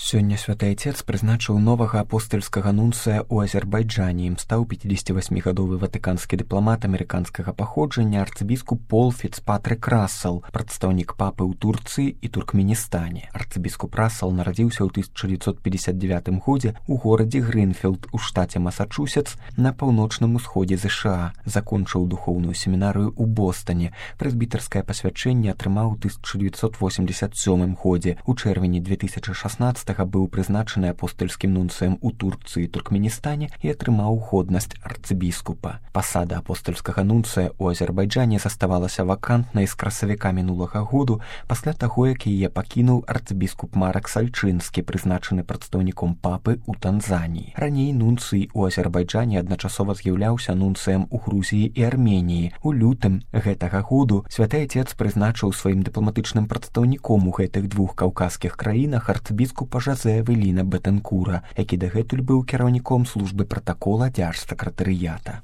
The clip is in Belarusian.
Сёння святы айцец прызначыў новага апостальскага нунцыя ў Азербайджане. Ім стаў 58-гадовы ватыканскі дыпламат амерыканскага паходжання арцыбіскуп Пол Фіцпатрик Рассел, прадстаўнік папы ў Турцыі і Туркменістане. Арцыбіскуп Рассел нарадзіўся ў 1959 годзе ў горадзе Гринфілд у штаце Масачусетс на паўночным усходзе ЗША. Закончыў духоўную семінарыю ў Бостане. Прэзбітарскае пасвячэнне атрымаў у 1987 годзе. У чэрвені 2016 быў прызначаны апостальскім нунцыем у Турцыі і Туркменістане і атрымаў годнасць арцыбіскупа. Пасада апостальскага нунцыя ў Азербайджане заставалася вакантнай з красавіка мінулага году пасля таго, як яе пакінуў арцыбіскуп Марак Сальчынскі, прызначаны прадстаўніком папы ў Танзаніі. Раней нунцый у Азербайджане адначасова з'яўляўся нунцыем у Грузіі і Арменіі. У лютым гэтага году святы айцец прызначыў сваім дыпламатычным прадстаўніком у гэтых двух каўказскіх краінах арцыбіскупа Жозе Эвеліна Бетенкура, які дагэтуль быў кіраўніком службы пратакола дзяржсакратарыята.